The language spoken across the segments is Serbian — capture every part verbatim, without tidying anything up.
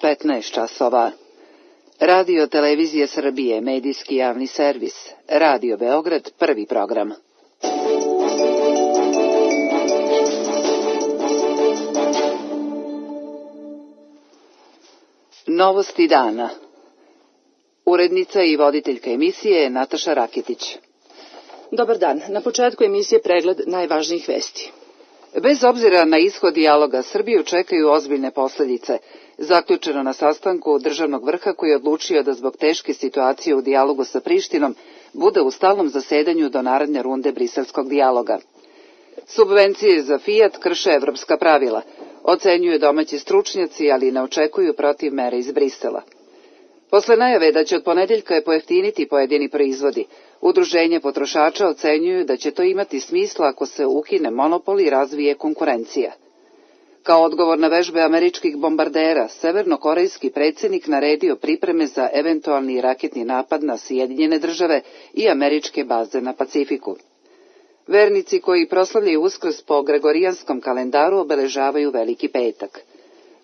petnaest časova. Radio Televizije Srbije, medijski javni servis. Radio Beograd, prvi program. Novosti dana. Urednica i voditeljka emisije je Nataša Raketić. Dobar dan. Na početku emisije pregled najvažnijih vesti. Bez obzira na ishod dijaloga, Srbiju čekaju ozbiljne posljedice. Zaključeno na sastanku državnog vrha koji je odlučio da zbog teške situacije u dijalogu sa Prištinom bude u stalnom zasedanju do naredne runde briselskog dijaloga. Subvencije za Fiat krše evropska pravila. Ocenjuju domaći stručnjaci, ali ne očekuju protiv mere iz Brisela. Posle najave da će od ponedeljka pojeftiniti pojedini proizvodi, udruženje potrošača ocenjuju da će to imati smisla ako se ukine monopol i razvije konkurencija. Kao odgovor na vežbe američkih bombardera, severnokorejski predsjednik naredio pripreme za eventualni raketni napad na Sjedinjene države i američke baze na Pacifiku. Vernici koji proslavljaju Uskrs po gregorijanskom kalendaru obeležavaju Veliki petak.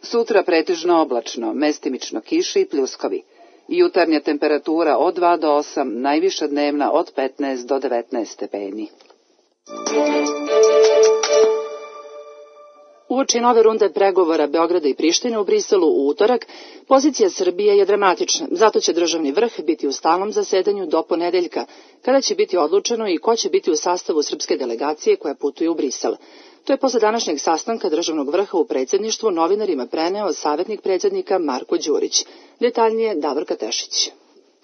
Sutra pretežno oblačno, mestimično kiše i pljuskovi. Jutarnja temperatura od dva do osam, najviša dnevna od petnaest do devetnaest stepeni. Uoči nove runde pregovora Beograda i Prištine u Briselu u utorak, pozicija Srbije je dramatična, zato će državni vrh biti u stalnom zasedanju do ponedeljka, kada će biti odlučeno i ko će biti u sastavu srpske delegacije koja putuje u Brisel. To je posle današnjeg sastanka državnog vrha u predsjedništvu novinarima preneo savjetnik predsjednika Marko Đurić. Detaljnije Davorka Tešić.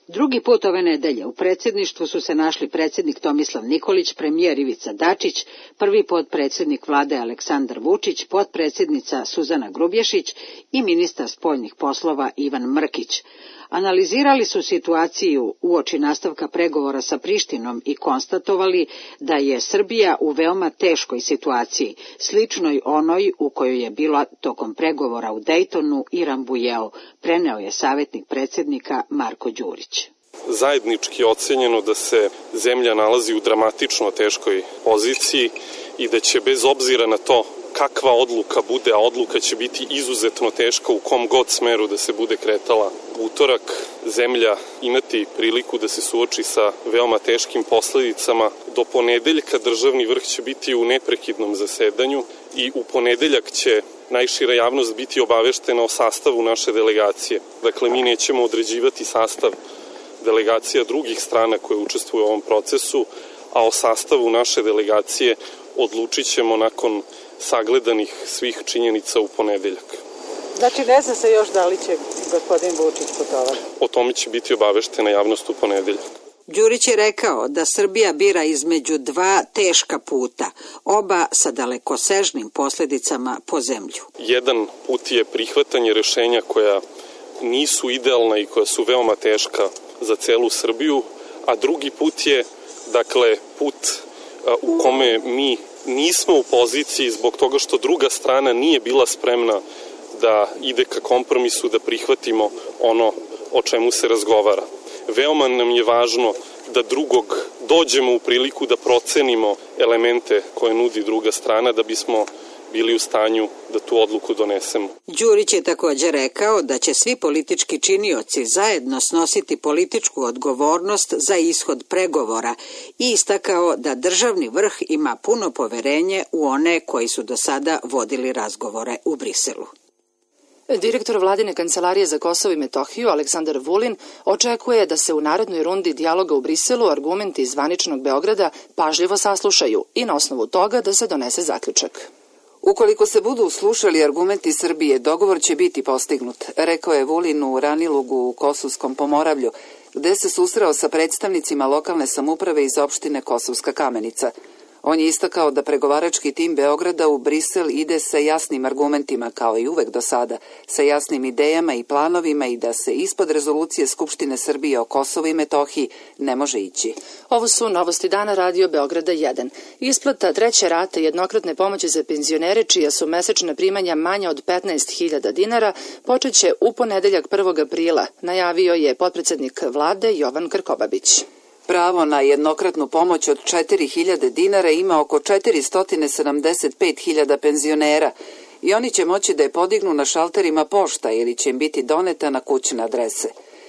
Drugi put ove nedelje u predsjedništvu su se našli predsjednik Tomislav Nikolić, premijer Ivica Dačić, prvi potpredsjednik vlade Aleksandar Vučić, potpredsjednica Suzana Grubješić i ministar spoljnih poslova Ivan Mrkić. Analizirali su situaciju uoči nastavka pregovora sa Prištinom i konstatovali da je Srbija u veoma teškoj situaciji, sličnoj onoj u kojoj je bila tokom pregovora u Dejtonu i Rambujeu, preneo je savjetnik predsjednika Marko Đurić. Zajednički je ocenjeno da se zemlja nalazi u dramatično teškoj poziciji i da će bez obzira na to kakva odluka bude, a odluka će biti izuzetno teška u kom god smeru da se bude kretala utorak, zemlja imati priliku da se suoči sa veoma teškim posljedicama. Do ponedeljka državni vrh će biti u neprekidnom zasedanju i u ponedeljak će najšira javnost biti obaveštena o sastavu naše delegacije. Dakle, mi nećemo određivati sastav delegacija drugih strana koje učestvuju u ovom procesu, a o sastavu naše delegacije odlučit ćemo nakon sagledanih svih činjenica u ponedeljak. Znači, ne zna se još da li će gospodin Vučić putovati? O tome će biti obaveštena javnost u ponedeljak. Đurić je rekao da Srbija bira između dva teška puta, oba sa dalekosežnim posljedicama po zemlju. Jedan put je prihvatanje rešenja koja nisu idealna i koja su veoma teška za celu Srbiju, a drugi put je, dakle, put u kome mi nismo u poziciji zbog toga što druga strana nije bila spremna da ide ka kompromisu, da prihvatimo ono o čemu se razgovara. Veoma nam je važno da drugog dođemo u priliku da procenimo elemente koje nudi druga strana da bismo bili u stanju da tu odluku donesemo. Đurić je također rekao da će svi politički činioci zajedno snositi političku odgovornost za ishod pregovora i istakao da državni vrh ima puno poverenje u one koji su do sada vodili razgovore u Briselu. Direktor vladine kancelarije za Kosovo i Metohiju Aleksandar Vulin očekuje da se u narednoj rundi dijaloga u Briselu argumenti zvaničnog Beograda pažljivo saslušaju i na osnovu toga da se donese zaključak. Ukoliko se budu slušali argumenti Srbije, dogovor će biti postignut, rekao je Vulin u Ranilugu u Kosovskom Pomoravlju, gde se susreo sa predstavnicima lokalne samouprave iz opštine Kosovska Kamenica. On je istakao da pregovarački tim Beograda u Brisel ide sa jasnim argumentima, kao i uvek do sada, sa jasnim idejama i planovima i da se ispod rezolucije Skupštine Srbije o Kosovu i Metohiji ne može ići. Ovo su novosti dana Radio Beograda jedan. Isplata treće rate jednokratne pomoći za penzionere čija su mesečna primanja manja od petnaest hiljada dinara počeće u ponedeljak prvog aprila, najavio je potpredsednik vlade Jovan Krkobabić. Pravo na jednokratnu pomoć od četiri hiljade dinara ima oko četiristo sedamdeset pet hiljada penzionera i oni će moći da je podignu na šalterima pošta ili će im biti doneta na kućne adrese.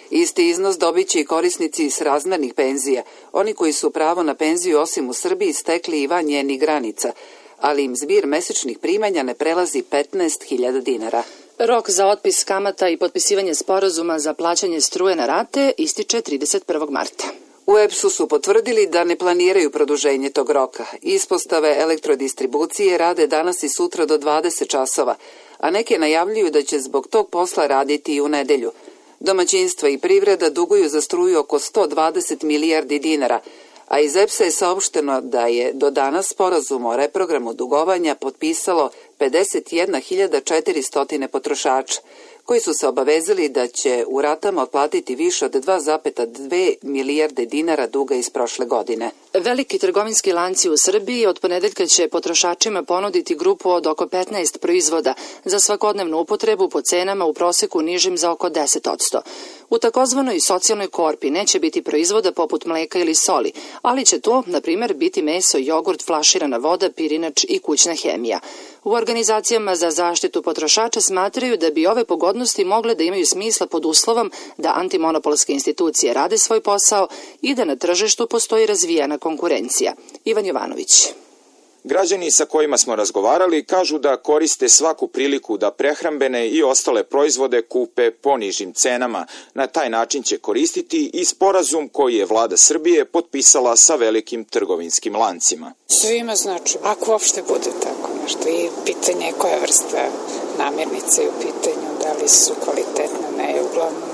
Isti iznos dobit će i korisnici s razmernih penzija, oni koji su pravo na penziju osim u Srbiji stekli i van njenih granica, ali im zbir mesečnih primanja ne prelazi petnaest hiljada dinara. Rok za otpis kamata i potpisivanje sporazuma za plaćanje struje na rate ističe trideset prvog marta. U E P S-u su potvrdili da ne planiraju produženje tog roka. Ispostave elektrodistribucije rade danas i sutra do dvadeset časova, a neke najavljuju da će zbog tog posla raditi i u nedelju. Domaćinstva i privreda duguju za struju oko sto dvadeset milijardi dinara, a iz E P S-a je saopšteno da je do danas sporazum o reprogramu dugovanja potpisalo pedeset jedna hiljada četiristo potrošača, koji su se obavezali da će u ratama otplatiti više od dva zarez dve milijarde dinara duga iz prošle godine. Veliki trgovinski lanci u Srbiji od ponedeljka će potrošačima ponuditi grupu od oko petnaest proizvoda za svakodnevnu upotrebu po cenama u proseku nižim za oko deset posto. U takozvanoj socijalnoj korpi neće biti proizvoda poput mleka ili soli, ali će to, na primjer, biti meso, jogurt, flaširana voda, pirinač i kućna hemija. U organizacijama za zaštitu potrošača smatraju da bi ove pogodnosti mogle da imaju smisla pod uslovom da antimonopolske institucije rade svoj posao i da na tržištu postoji razvijena konkurencija. Ivan Jovanović. Građani sa kojima smo razgovarali kažu da koriste svaku priliku da prehrambene i ostale proizvode kupe po nižim cenama. Na taj način će koristiti i sporazum koji je vlada Srbije potpisala sa velikim trgovinskim lancima. Svima znači, ako uopšte bude tako nešto, i pitanje je koja vrsta namirnice je u pitanju, da li su kvalitetne, ne je uglavnom.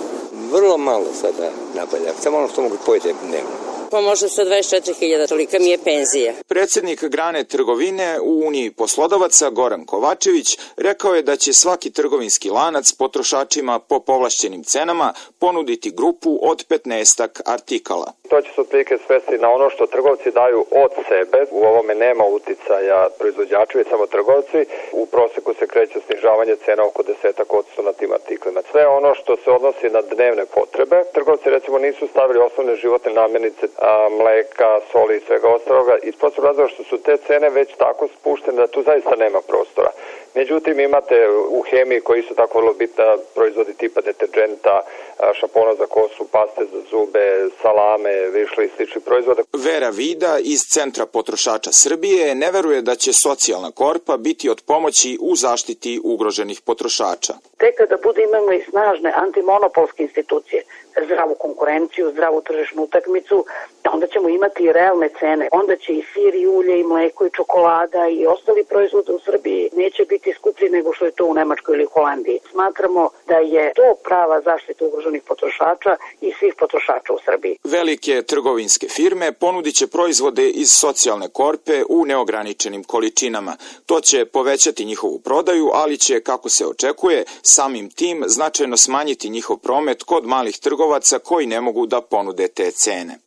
Vrlo malo sada nabavljam, samo ono što mogu pojeti dnevno. Pa možda sa dvadeset četiri hiljade, tolika mi je penzija. Predsjednik grane trgovine u Uniji poslodavaca Goran Kovačević rekao je da će svaki trgovinski lanac potrošačima po povlašćenim cenama ponuditi grupu od petnaestak artikala. To će se otprilike svesti na ono što trgovci daju od sebe. U ovome nema uticaja proizvođača, već samo trgovci. U proseku se kreće snižavanje cena oko desetak odsto na tim artiklima. Sve ono što se odnosi na dnevne potrebe, trgovci recimo nisu stavili osnovne životne namirnice, a, mleka, soli i svega ostaloga, iz prostog razloga što su te cene već tako spuštene da tu zaista nema prostora. Međutim, imate u hemiji koji su tako vrlo bitna proizvodi tipa deterđenta, šampona za kosu, paste za zube, salame, višle i slični proizvode. Vera Vida iz Centra potrošača Srbije ne veruje da će socijalna korpa biti od pomoći u zaštiti ugroženih potrošača. Tek kada bude imamo i snažne antimonopolske institucije, zdravu konkurenciju, zdravu tržišnu utakmicu, onda ćemo imati i realne cene. Onda će i sir, i ulje, i mleko, i čokolada i ostali proizvodi u Srbiji neće biti skuplji nego što je to u Nemačkoj ili Holandiji. Smatramo da je to prava zaštita ugroženih potrošača i svih potrošača u Srbiji. Velike trgovinske firme ponudit će proizvode iz socijalne korpe u neograničenim količinama. To će povećati njihovu prodaju, ali će, kako se očekuje, samim tim značajno smanjiti njihov promet kod malih trgovaca koji ne mogu da ponude te cene.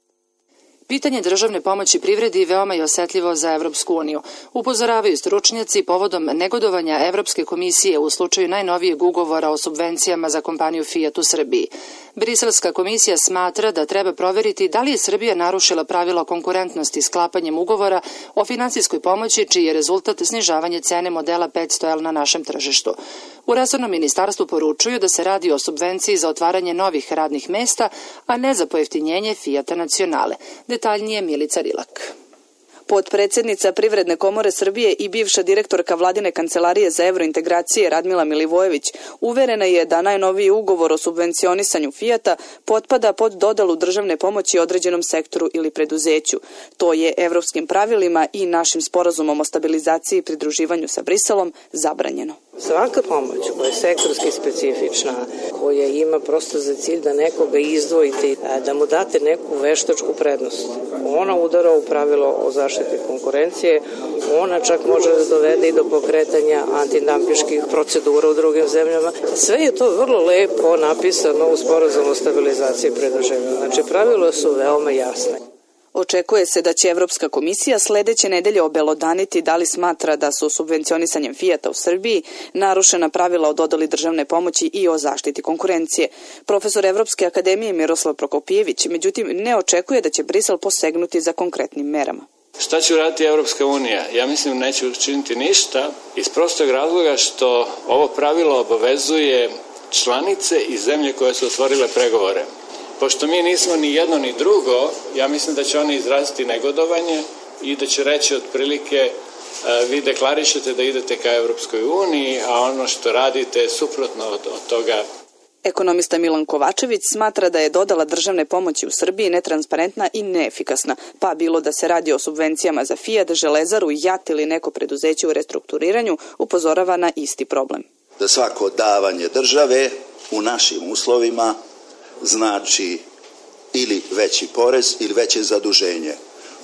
Pitanje državne pomoći privredi veoma je osetljivo za Evropsku uniju. Upozoravaju stručnjaci povodom negodovanja Evropske komisije u slučaju najnovijeg ugovora o subvencijama za kompaniju Fiat u Srbiji. Briselska komisija smatra da treba proveriti da li je Srbija narušila pravila konkurentnosti sklapanjem ugovora o finansijskoj pomoći, čiji je rezultat snižavanje cene modela petsto L na našem tržištu. U resornom ministarstvu poručuju da se radi o subvenciji za otvaranje novih radnih mesta, a ne za pojeftinjenje Fiata Nacionale. Detaljnije Milica Rilak. Potpredsednica Privredne komore Srbije i bivša direktorka Vladine kancelarije za evrointegracije Radmila Milivojević uverena je da najnoviji ugovor o subvencionisanju Fijata potpada pod dodelu državne pomoći određenom sektoru ili preduzeću. To je evropskim pravilima i našim sporazumom o stabilizaciji i pridruživanju sa Briselom zabranjeno. Svaka pomoć koja je sektorski specifična, koja ima prosto za cilj da nekoga izdvojite, da mu date neku veštačku prednost, ona udara u pravilo o zaštiti konkurencije, ona čak može da dovede i do pokretanja antidampiških procedura u drugim zemljama. Sve je to vrlo lepo napisano u sporazumu o stabilizaciji i pridruživanju. Znači, pravila su veoma jasne. Očekuje se da će Evropska komisija sledeće nedelje obelodaniti da li smatra da su subvencionisanjem Fijata u Srbiji narušena pravila o dodeli državne pomoći i o zaštiti konkurencije. Profesor Evropske akademije Miroslav Prokopijević, međutim, ne očekuje da će Brisel posegnuti za konkretnim merama. Šta će uraditi Evropska unija? Ja mislim neće učiniti ništa iz prostog razloga što ovo pravilo obavezuje članice i zemlje koje su otvorile pregovore. Pošto mi nismo ni jedno ni drugo, ja mislim da će oni izraziti negodovanje i da će reći otprilike vi deklarišete da idete ka Evropskoj uniji, a ono što radite je suprotno od, od toga. Ekonomista Milan Kovačević smatra da je dodala državne pomoći u Srbiji netransparentna i neefikasna, pa bilo da se radi o subvencijama za Fiat, Železaru, JAT ili neko preduzeće u restrukturiranju, upozorava na isti problem. Da svako davanje države u našim uslovima znači ili veći porez ili veće zaduženje.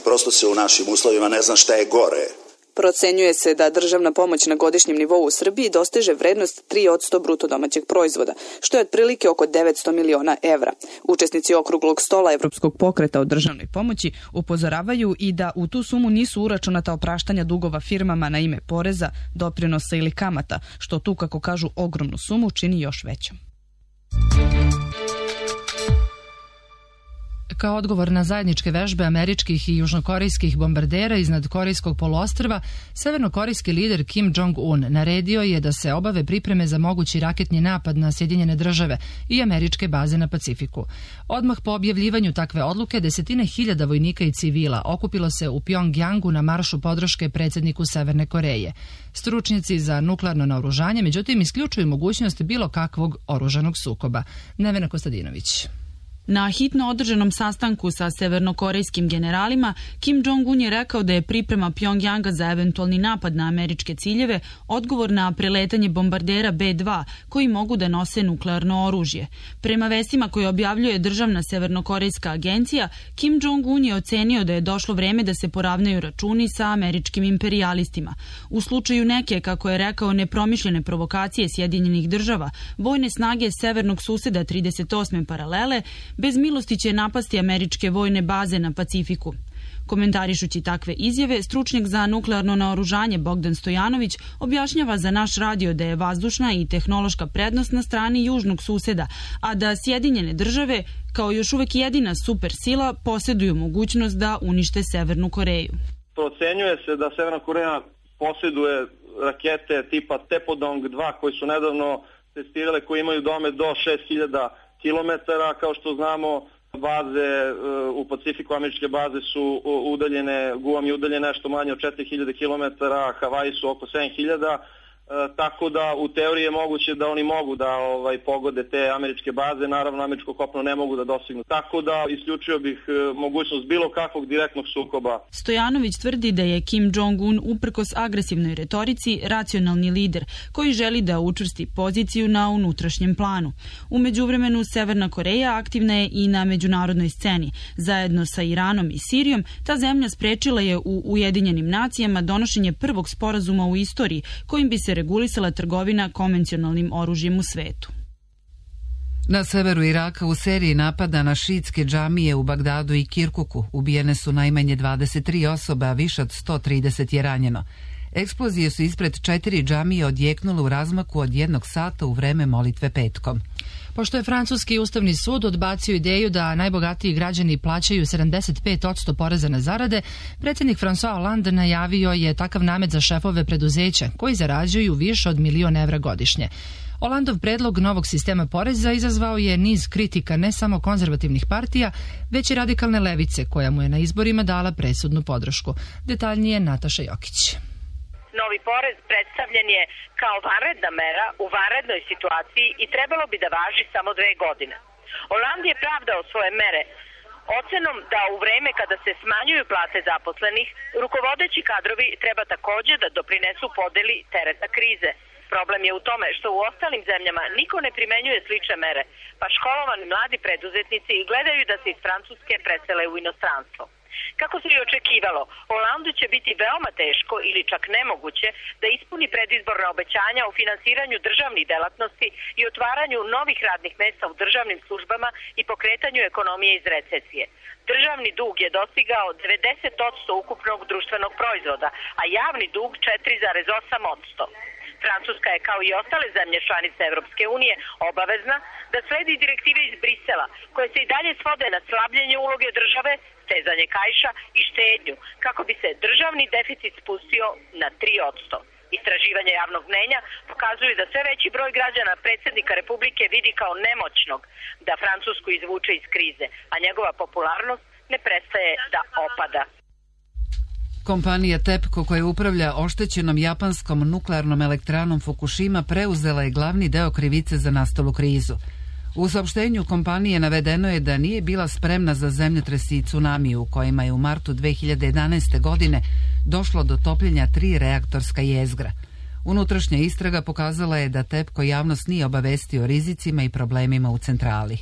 Prosto se u našim uslovima ne zna šta je gore. Procenjuje se da državna pomoć na godišnjem nivou u Srbiji dostiže vrednost tri posto bruto domaćeg proizvoda, što je otprilike oko devetsto miliona evra. Učesnici okruglog stola Evropskog pokreta o državnoj pomoći upozoravaju i da u tu sumu nisu uračunata opraštanja dugova firmama na ime poreza, doprinosa ili kamata, što tu, kako kažu, ogromnu sumu čini još većom. Kao odgovor na zajedničke vežbe američkih i južnokorejskih bombardera iznad Korejskog poluostrva, severnokorejski lider Kim Jong-un naredio je da se obave pripreme za mogući raketni napad na Sjedinjene države i američke baze na Pacifiku. Odmah po objavljivanju takve odluke, desetine hiljada vojnika i civila okupilo se u Pjongjangu na maršu podrške predsjedniku Severne Koreje. Stručnjaci za nuklearno naoružanje, međutim, isključuju mogućnost bilo kakvog oružanog sukoba. Nevena Kostadinović. Na hitno održanom sastanku sa severnokorejskim generalima, Kim Jong-un je rekao da je priprema Pjongjanga za eventualni napad na američke ciljeve odgovor na preletanje bombardera be dva koji mogu da nose nuklearno oružje. Prema vestima koje objavljuje državna severnokorejska agencija, Kim Jong-un je ocenio da je došlo vreme da se poravnaju računi sa američkim imperijalistima. U slučaju neke, kako je rekao, nepromišljene provokacije Sjedinjenih država, vojne snage severnog suseda trideset osme paralele bez milosti će napasti američke vojne baze na Pacifiku. Komentarišući takve izjave, stručnjak za nuklearno naoružanje Bogdan Stojanović objašnjava za naš radio da je vazdušna i tehnološka prednost na strani južnog suseda, a da Sjedinjene države, kao još uvek jedina supersila, posjeduju mogućnost da unište Severnu Koreju. Procenjuje se da Severna Koreja posjeduje rakete tipa Tepodong dva koji su nedavno testirale, koji imaju domet do šest hiljada kilometara. Kao što znamo, baze u Pacifiku, američke baze su udaljene, Guam je udaljen nešto manje od četiri hiljade kilometara, Havaji su oko sedam hiljada, tako da u teoriji je moguće da oni mogu da ovaj, pogode te američke baze, naravno američko kopno ne mogu da dosegnu. Tako da isključio bih mogućnost bilo kakvog direktnog sukoba. Stojanović tvrdi da je Kim Jong-un uprkos agresivnoj retorici racionalni lider koji želi da učvrsti poziciju na unutrašnjem planu. U međuvremenu Severna Koreja aktivna je i na međunarodnoj sceni. Zajedno sa Iranom i Sirijom ta zemlja sprečila je u Ujedinjenim nacijama donošenje prvog sporazuma u istoriji kojim bi se regulisala trgovina konvencionalnim oružjem u svetu. Na severu Iraka u seriji napada na šiitske džamije u Bagdadu i Kirkuku ubijene su najmanje dvadeset tri osobe, a više od sto trideset je ranjeno. Eksplozije su ispred četiri džamije odjeknule u razmaku od jednog sata u vreme molitve petkom. Pošto je Francuski ustavni sud odbacio ideju da najbogatiji građani plaćaju sedamdeset pet posto poreza na zarade, predsjednik François Hollande najavio je takav namet za šefove preduzeća koji zarađuju više od milion evra godišnje. Hollandov predlog novog sistema poreza izazvao je niz kritika ne samo konzervativnih partija, već i radikalne levice koja mu je na izborima dala presudnu podršku. Detaljnije Nataša Jokić. Novi porez predstavljen je kao vanredna mera u vanrednoj situaciji i trebalo bi da važi samo dve godine. Hollande je pravdao svoje mere ocenom da u vreme kada se smanjuju plate zaposlenih, rukovodeći kadrovi treba takođe da doprinesu podeli tereta krize. Problem je u tome što u ostalim zemljama niko ne primenjuje slične mere, pa školovani mladi preduzetnici gledaju da se iz Francuske presele u inostranstvo. Kako se i očekivalo, Hollandu će biti veoma teško ili čak nemoguće da ispuni predizborna obećanja o finansiranju državnih delatnosti i otvaranju novih radnih mesta u državnim službama i pokretanju ekonomije iz recesije. Državni dug je dostigao devedeset posto ukupnog društvenog proizvoda, a javni dug četiri zarez osam posto. Francuska je kao i ostale zemlje članice Evropske unije obavezna da sledi direktive iz Brisela, koje se i dalje svode na slabljenje uloge države, stezanje kaiša i štednju, kako bi se državni deficit spustio na tri posto. Istraživanja javnog mnenja pokazuju da sve veći broj građana predsjednika Republike vidi kao nemoćnog da Francusku izvuče iz krize, a njegova popularnost ne prestaje da opada. Kompanija TEPCO, koja upravlja oštećenom japanskom nuklearnom elektranom Fukushima, preuzela je glavni deo krivice za nastalu krizu. U saopštenju kompanije navedeno je da nije bila spremna za zemljotresi i tsunami u kojima je u martu dve hiljade jedanaeste. godine došlo do topljenja tri reaktorska jezgra. Unutrašnja istraga pokazala je da TEPCO javnost nije obavestio o rizicima i problemima u centrali.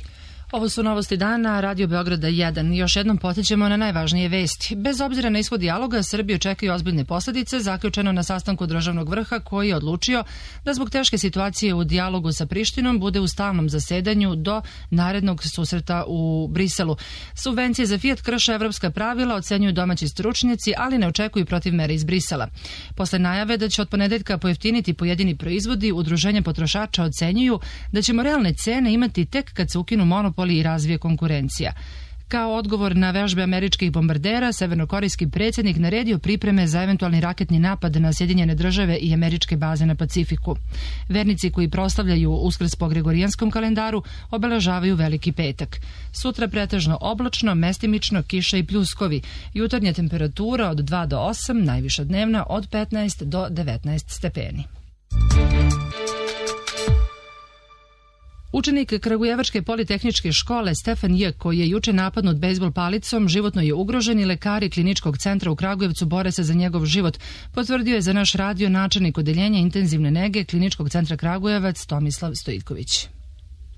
Ovo su novosti dana, Radio Beograda jedan. Još jednom podsjećamo na najvažnije vesti. Bez obzira na ishod dijaloga, Srbiju čekaju ozbiljne posljedice, zaključeno na sastanku državnog vrha koji je odlučio da zbog teške situacije u dijalogu sa Prištinom bude u stalnom zasedanju do narednog susreta u Briselu. Subvencije za Fiat krše evropska pravila, ocenjuju domaći stručnjaci, ali ne očekuju protiv mere iz Brisela. Posle najave da će od ponedeljka pojeftiniti pojedini proizvodi, udruženja potrošača ocenjuju da ćemo realne cene imati tek kad se ukinu monopoli i razvije konkurencija. Kao odgovor na vežbe američkih bombardera, severnokorejski predsjednik naredio pripreme za eventualni raketni napad na Sjedinjene države i američke baze na Pacifiku. Vernici koji proslavljaju Uskrs po Gregorijanskom kalendaru obeležavaju Veliki petak. Sutra pretežno oblačno, mestimično, kiša i pljuskovi. Jutarnja temperatura od dva do osam, najviša dnevna od petnaest do devetnaest stepeni. Učenik Kragujevačke politehničke škole Stefan J, koji je juče napadnut bejzbol palicom, životno je ugrožen i lekari Kliničkog centra u Kragujevcu bore se za njegov život, potvrdio je za naš radio načelnik odeljenja intenzivne nege Kliničkog centra Kragujevac Tomislav Stojitković.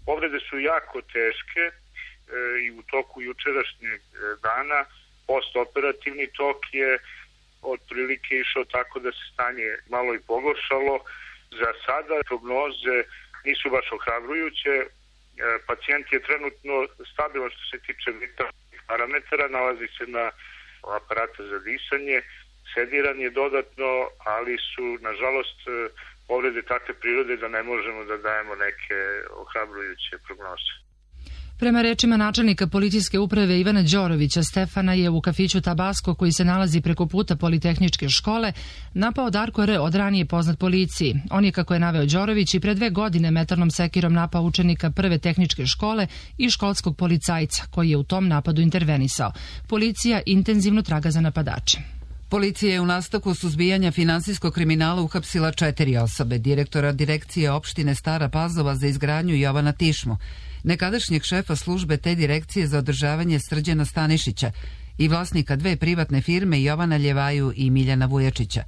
Povrede su jako teške e, i u toku jučerašnjeg dana postoperativni tok je otprilike išao tako da se stanje malo i pogoršalo. Za sada prognoze nisu baš ohrabrujuće. Pacijent je trenutno stabilan što se tiče vitalnih parametara, nalazi se na aparatu za disanje, sediran je dodatno, ali su, nažalost, povrede takve prirode da ne možemo da dajemo neke ohrabrujuće prognoze. Prema rečima načelnika policijske uprave Ivana Đorovića, Stefana je u kafiću Tabasko, koji se nalazi preko puta Politehničke škole, napao Darko R, od ranije poznat policiji. On je, kako je naveo Đorović, i pre dve godine metalnom sekirom napao učenika prve tehničke škole i školskog policajca, koji je u tom napadu intervenisao. Policija intenzivno traga za napadače. Policija je u nastavku suzbijanja finansijskog kriminala uhapsila četiri osobe: direktora direkcije opštine Stara Pazova za izgradnju Jovana Tišmu, nekadašnjeg šefa službe te direkcije za održavanje Srđana Stanišića i vlasnika dve privatne firme Jovana Ljevaju i Miljana Vujačića.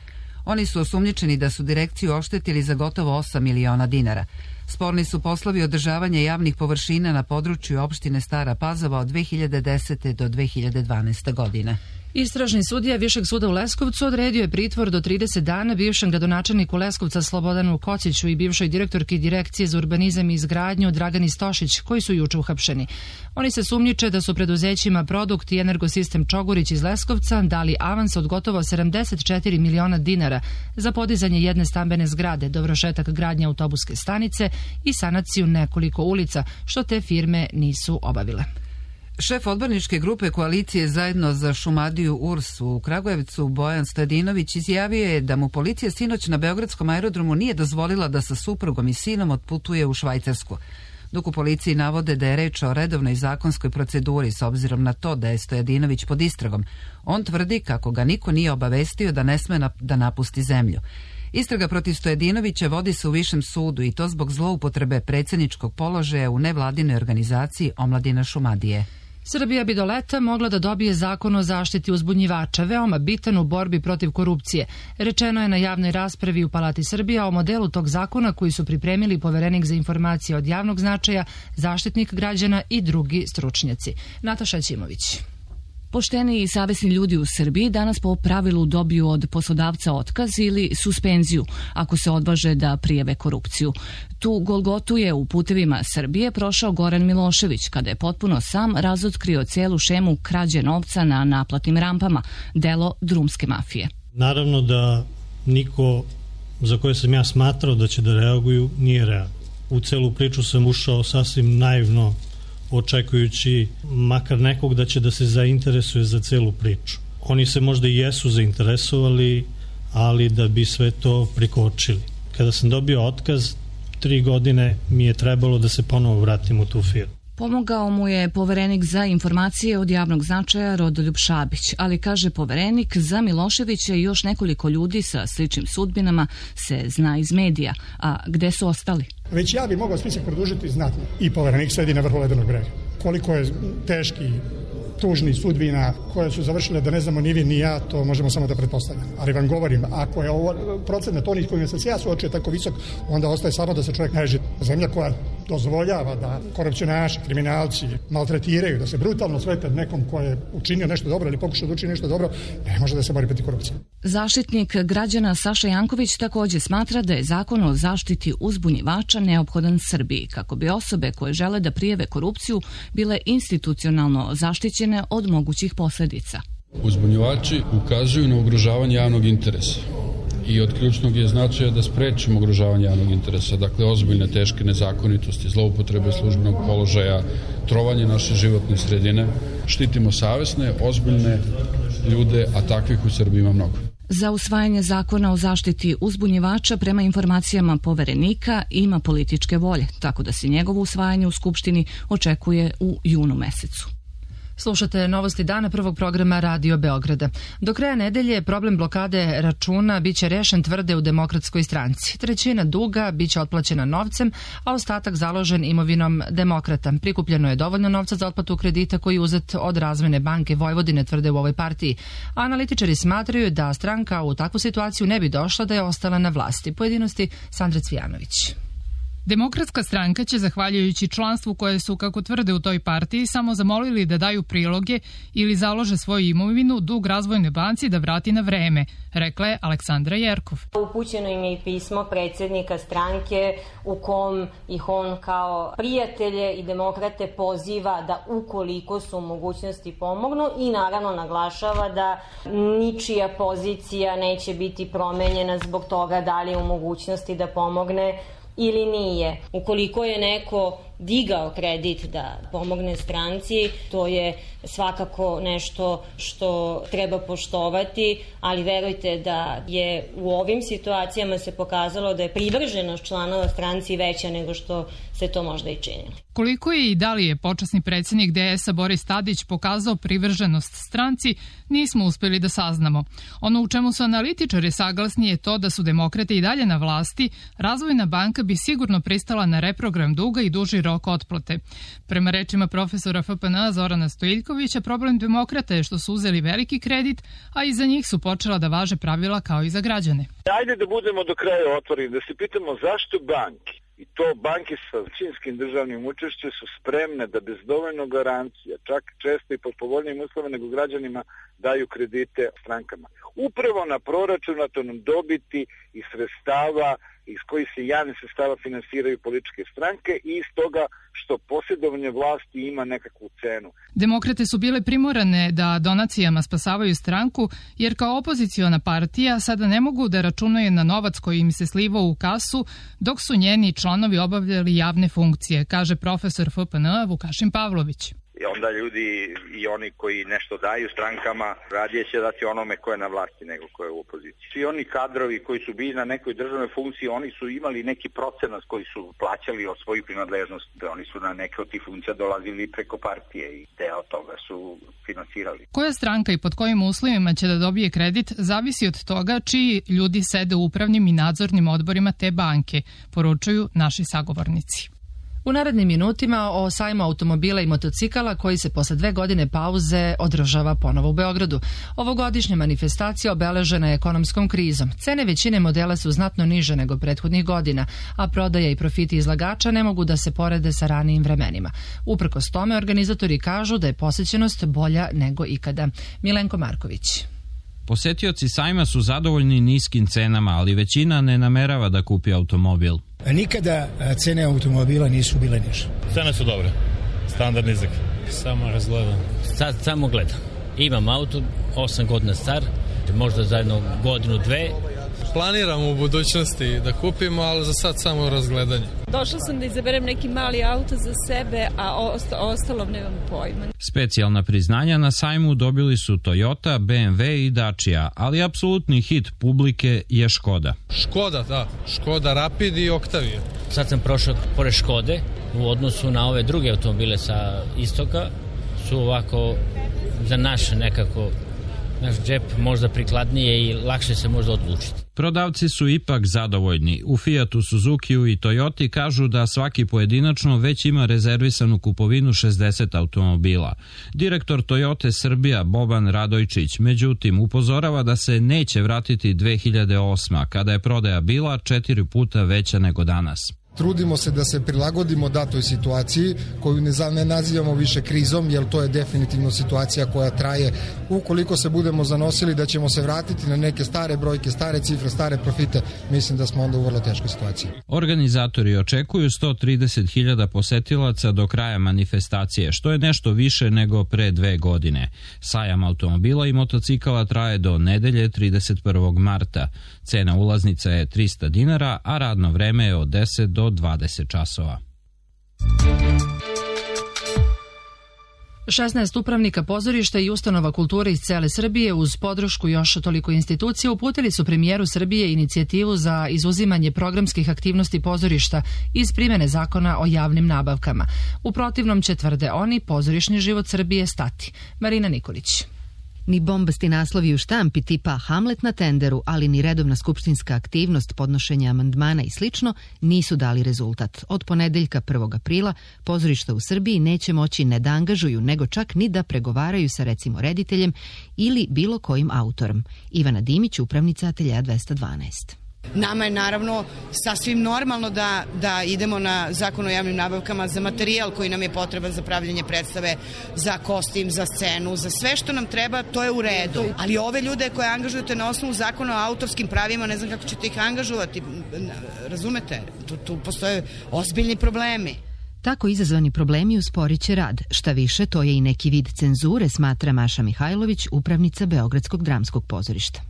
Oni su osumnjičeni da su direkciju oštetili za gotovo osam miliona dinara. Sporni su poslovi održavanja javnih površina na području opštine Stara Pazova od dve hiljade desete do dve hiljade dvanaeste. godine. Istražni sudija Višeg suda u Leskovcu odredio je pritvor do trideset dana bivšem gradonačelniku Leskovca Slobodanu Kociću i bivšoj direktorki Direkcije za urbanizam i izgradnju Dragani Stošić, koji su juče uhapšeni. Oni se sumnjiče da su preduzećima Produkt i Energosistem Čogurić iz Leskovca dali avans od gotovo sedamdeset četiri miliona dinara za podizanje jedne stambene zgrade, dovršetak gradnje autobuske stanice i sanaciju nekoliko ulica, što te firme nisu obavile. Šef odborničke grupe koalicije Zajedno za Šumadiju U R S u Kragujevcu, Bojan Stojadinović, izjavio je da mu policija sinoć na beogradskom aerodromu nije dozvolila da sa suprugom i sinom otputuje u Švajcarsku. Dok u policiji navode da je reč o redovnoj zakonskoj proceduri s obzirom na to da je Stojadinović pod istragom, on tvrdi kako ga niko nije obavestio da ne sme da napusti zemlju. Istraga protiv Stojadinovića vodi se u Višem sudu i to zbog zloupotrebe predsjedničkog položaja u nevladinoj organizaciji Omladina Šumadije. Srbija bi do leta mogla da dobije zakon o zaštiti uzbunjivača, veoma bitan u borbi protiv korupcije. Rečeno je na javnoj raspravi u Palati Srbija o modelu tog zakona koji su pripremili Poverenik za informacije od javnog značaja, Zaštitnik građana i drugi stručnjaci. Nataša Ćimović. Pošteni i savesni ljudi u Srbiji danas po pravilu dobiju od poslodavca otkaz ili suspenziju ako se odvaže da prijave korupciju. Tu golgotu je u putevima Srbije prošao Goran Milošević kada je potpuno sam razotkrio celu šemu krađe novca na naplatnim rampama, delo drumske mafije. Naravno da niko za koje sam ja smatrao da će da reaguju nije realno. U celu priču sam ušao sasvim naivno, očekujući makar nekog da će da se zainteresuje za celu priču. Oni se možda i jesu zainteresovali, ali da bi sve to prikočili. Kada sam dobio otkaz, tri godine mi je trebalo da se ponovo vratim u tu firmu. Pomogao mu je poverenik za informacije od javnog značaja Rodoljub Šabić, ali kaže poverenik, za Miloševića i još nekoliko ljudi sa sličnim sudbinama se zna iz medija. A gde su ostali? Već ja bi mogao spisak produžiti znatno. I poverenik sedi na vrhu ledenog brega. Koliko je teški, tužni sudbina koje su završile da ne znamo ni vi ni ja, to možemo samo da pretpostavljamo. Ali vam govorim, ako je ovo procenat onih kojima sam se ja suočio tako visok, onda ostaje samo da se čovjek neži. Zemlja koja dozvoljava da korupcionaši, kriminalci maltretiraju, da se brutalno svete nekom ko je učinio nešto dobro ili pokušao da učini nešto dobro, ne može da se bori protiv korupcije. Zaštitnik građana Saša Janković takođe smatra da je zakon o zaštiti uzbunjivača neophodan Srbiji, kako bi osobe koje žele da prijave korupciju bile institucionalno zaštićene od mogućih posledica. Uzbunjivači ukazuju na ugrožavanje javnog interesa i od ključnog je značaja da sprečimo ugrožavanje javnog interesa, dakle ozbiljne teške nezakonitosti, zloupotrebe službenog položaja, trovanje naše životne sredine, štitimo savesne, ozbiljne ljude, a takvih u Srbiji ima mnogo. Za usvajanje zakona o zaštiti uzbunjivača prema informacijama poverenika ima političke volje, tako da se njegovo usvajanje u Skupštini očekuje u junu mesecu. Slušate novosti dana prvog programa Radio Beograda. Do kraja nedelje problem blokade računa biće rešen, tvrde u Demokratskoj stranci. Trećina duga biće otplaćena novcem, a ostatak založen imovinom demokrata. Prikupljeno je dovoljno novca za otplatu kredita koji je uzet od Razvojne banke Vojvodine, tvrde u ovoj partiji. Analitičari smatraju da stranka u takvu situaciju ne bi došla da je ostala na vlasti. Pojedinosti Sandra Cvijanović. Demokratska stranka će, zahvaljujući članstvu koje su, kako tvrde u toj partiji, samo zamolili da daju priloge ili založe svoju imovinu, dug Razvojne banci da vrati na vreme, rekla je Aleksandra Jerkov. Upućeno im je i pismo predsjednika stranke u kom ih on kao prijatelje i demokrate poziva da ukoliko su u mogućnosti pomognu i naravno naglašava da ničija pozicija neće biti promenjena zbog toga da li je u mogućnosti da pomogne ili nije. Ukoliko je neko digao kredit da pomogne stranci, to je svakako nešto što treba poštovati, ali verujte da je u ovim situacijama se pokazalo da je privrženost članova stranci veća nego što se to možda i činilo. Koliko je i da li je počasni predsjednik D S-a Boris Tadić pokazao privrženost stranci, nismo uspjeli da saznamo. Ono u čemu su analitičari saglasni je to da su demokrate i dalje na vlasti, Razvojna banka bi sigurno pristala na reprogram duga i duži rok otplate. Prema rečima profesora F P N A Zorana Stojiljkovića, problem demokrata je što su uzeli veliki kredit, a iza njih su počela da važe pravila kao i za građane. Ajde da budemo do kraja otvoreni, da se pitamo zašto banke, i to banke sa većinskim državnim učešćem, su spremne da bez dovoljno garancija, čak često i pod povoljnijim uslovima nego građanima, daju kredite strankama. Upravo na proračunatom dobiti i sredstava iz kojih se javne sredstava finansiraju političke stranke i iz toga što posjedovanje vlasti ima nekakvu cenu. Demokrate su bile primorane da donacijama spasavaju stranku, jer kao opoziciona partija sada ne mogu da računaju na novac koji im se slivao u kasu, dok su njeni članovi obavljali javne funkcije, kaže profesor F P N A Vukašin Pavlović. I onda ljudi i oni koji nešto daju strankama radije će dati onome ko je na vlasti nego ko je u opoziciji. Svi oni kadrovi koji su bili na nekoj državnoj funkciji, oni su imali neki procenat koji su plaćali od svoju primadležnost. Oni su na neke od tih funkcija dolazili preko partije i deo toga su finansirali. Koja stranka i pod kojim uslovima će da dobije kredit zavisi od toga čiji ljudi sede u upravnim i nadzornim odborima te banke, poručuju naši sagovornici. U narednim minutima o sajmu automobila i motocikala koji se posle dve godine pauze održava ponovo u Beogradu. Ovogodišnja manifestacija obeležena je ekonomskom krizom. Cene većine modela su znatno niže nego prethodnih godina, a prodaja i profiti izlagača ne mogu da se porede sa ranijim vremenima. Uprkos tome, organizatori kažu da je posećenost bolja nego ikada. Milenko Marković. Posetioci sajma su zadovoljni niskim cenama, ali većina ne namerava da kupi automobil. Nikada cene automobila nisu bile niže. Cene su dobre, standard nizak. Samo razgledam. Sad samo gledam. Imam auto, osam godina star, možda za jednu godinu, dve, Planiramo u budućnosti da kupimo, ali za sad samo razgledanje. Došla sam da izaberem neki mali auto za sebe, a ostalo nemam pojma. Specijalna priznanja na sajmu dobili su Toyota, B M W i Dacia, ali apsolutni hit publike je Škoda. Škoda, da. Škoda Rapid i Octavia. Sad sam prošao pored Škode, u odnosu na ove druge automobile sa istoka, su ovako za naš nekako, naš džep možda prikladnije i lakše se možda odlučiti. Prodavci su ipak zadovoljni. U Fiatu, Suzukiju i Toyoti kažu da svaki pojedinačno već ima rezervisanu kupovinu šezdeset automobila. Direktor Toyote Srbija Boban Radojčić, međutim, upozorava da se neće vratiti dve hiljade osma, kada je prodaja bila četiri puta veća nego danas. Trudimo se da se prilagodimo datoj situaciji koju ne nazivamo više krizom, jer to je definitivno situacija koja traje. Ukoliko se budemo zanosili da ćemo se vratiti na neke stare brojke, stare cifre, stare profite, mislim da smo onda u vrlo teškoj situaciji. Organizatori očekuju sto trideset hiljada posetilaca do kraja manifestacije, što je nešto više nego pre dve godine. Sajam automobila i motocikala traje do nedelje trideset prvog marta. Cena ulaznica je trista dinara, a radno vreme je od deset do dvadeset časova. šesnaest upravnika pozorišta i ustanova kulture iz cele Srbije uz podršku još toliko institucija uputili su premijeru Srbije inicijativu za izuzimanje programskih aktivnosti pozorišta iz primene zakona o javnim nabavkama. U protivnom će, tvrde oni, pozorišni život Srbije stati. Marina Nikolić. Ni bombasti naslovi u štampi tipa Hamlet na tenderu, ali ni redovna skupštinska aktivnost podnošenja amandmana i slično nisu dali rezultat. Od ponedeljka prvog aprila pozorišta u Srbiji neće moći ne da angažuju, nego čak ni da pregovaraju sa recimo rediteljem ili bilo kojim autorom. Ivana Dimić, upravnica Ateljeja dvesta dvanaest. Nama je naravno sasvim normalno da, da idemo na zakon o javnim nabavkama za materijal koji nam je potreban za pravljanje predstave, za kostim, za scenu, za sve što nam treba, to je u redu. Ali ove ljude koje angažujete na osnovu zakona o autorskim pravima, ne znam kako ćete ih angažovati, razumete? Tu, tu postoje ozbiljni problemi. Tako izazvani problemi usporit će rad. Šta više, to je i neki vid cenzure, smatra Maša Mihajlović, upravnica Beogradskog dramskog pozorišta.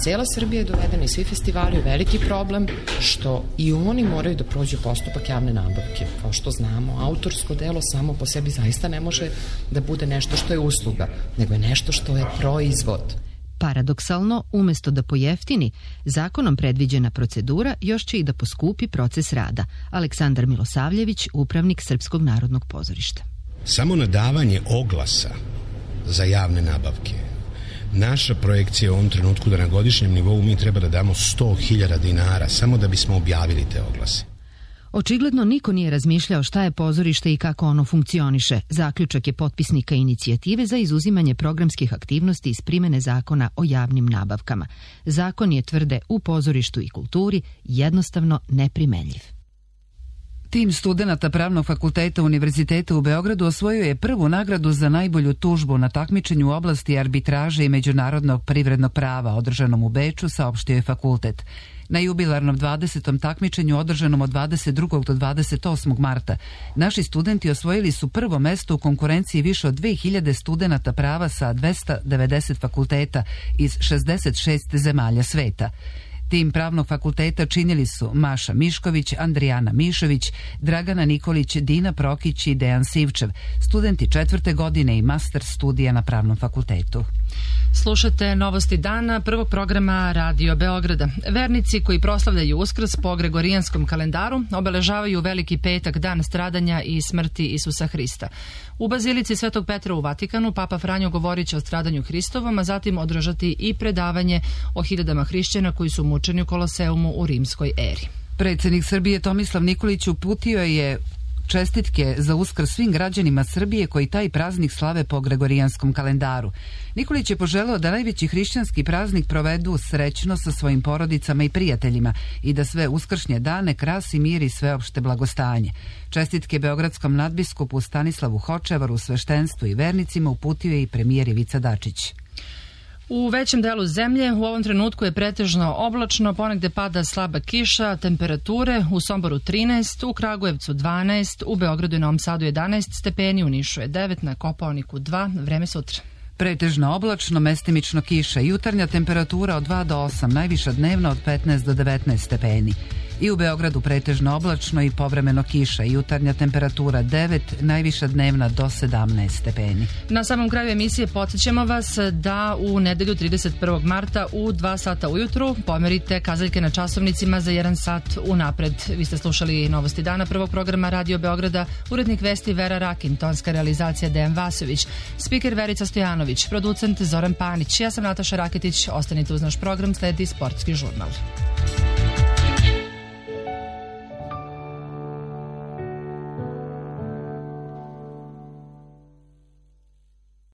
Cela Srbija je dovedena i svi festivali je veliki problem što i oni moraju da prođu postupak javne nabavke. Kao što znamo, autorsko delo samo po sebi zaista ne može da bude nešto što je usluga, nego je nešto što je proizvod. Paradoksalno, umesto da pojeftini, zakonom predviđena procedura još će i da poskupi proces rada. Aleksandar Milosavljević, upravnik Srpskog narodnog pozorišta. Samo nadavanje oglasa za javne nabavke. Naša projekcija u ovom trenutku da na godišnjem nivou mi treba da damo sto hiljada dinara samo da bismo objavili te oglase. Očigledno niko nije razmišljao šta je pozorište i kako ono funkcioniše. Zaključak je potpisnika inicijative za izuzimanje programskih aktivnosti iz primene zakona o javnim nabavkama. Zakon je, tvrde, u pozorištu i kulturi jednostavno neprimenljiv. Tim studenata Pravnog fakulteta Univerziteta u Beogradu osvojio je prvu nagradu za najbolju tužbu na takmičenju u oblasti arbitraže i međunarodnog privrednog prava održanom u Beču, saopštio je fakultet. Na jubilarnom dvadesetom takmičenju održanom od dvadeset drugog do dvadeset osmog marta naši studenti osvojili su prvo mesto u konkurenciji više od dve hiljade studenata prava sa dvesta devedeset fakulteta iz šezdeset šest zemalja sveta. Tim Pravnog fakulteta činili su Maša Mišković, Andrijana Mišović, Dragana Nikolić, Dina Prokić i Dejan Sivčev, studenti četvrte godine i master studija na Pravnom fakultetu. Slušate novosti dana prvog programa Radio Beograda. Vernici koji proslavljaju Uskrs po gregorijanskom kalendaru obeležavaju Veliki petak, dan stradanja i smrti Isusa Hrista. U Bazilici Svetog Petra u Vatikanu Papa Franjo govorit će o stradanju Hristovom, a zatim održati i predavanje o hiljadama hrišćana koji su mučeni u Koloseumu u rimskoj eri. Predsjednik Srbije Tomislav Nikolić uputio je čestitke za Uskrs svim građanima Srbije koji taj praznik slave po gregorijanskom kalendaru. Nikolić je poželeo da najveći hrišćanski praznik provedu srećno sa svojim porodicama i prijateljima i da sve uskršnje dane krasi mir i sveopšte blagostanje. Čestitke beogradskom nadbiskupu Stanislavu Hočevaru, sveštenstvu i vernicima uputio je i premijer Ivica Dačić. U većem delu zemlje u ovom trenutku je pretežno oblačno, ponegde pada slaba kiša, temperature u Somboru trinaest, u Kragujevcu dvanaest, u Beogradu i Novom Sadu jedanaest stepeni, u Nišu je devet, na Kopaoniku dva, vreme sutra. Pretežno oblačno, mestimično kiša, jutarnja temperatura od dva do osam, najviša dnevna od petnaest do devetnaest stepeni. I u Beogradu pretežno oblačno i povremeno kiša, jutarnja temperatura devet, najviša dnevna do sedamnaest stepeni. Na samom kraju emisije podsjećamo vas da u nedelju trideset prvog marta u dva sata ujutru pomerite kazaljke na časovnicima za jedan sat unapred. Vi ste slušali Novosti dana prvog programa Radio Beograda, urednik vesti Vera Rakin, tonska realizacija Dejan Vasović, spiker Verica Stojanović, producent Zoran Panić. Ja sam Nataša Raketić, ostanite uz naš program, sledi Sportski žurnal.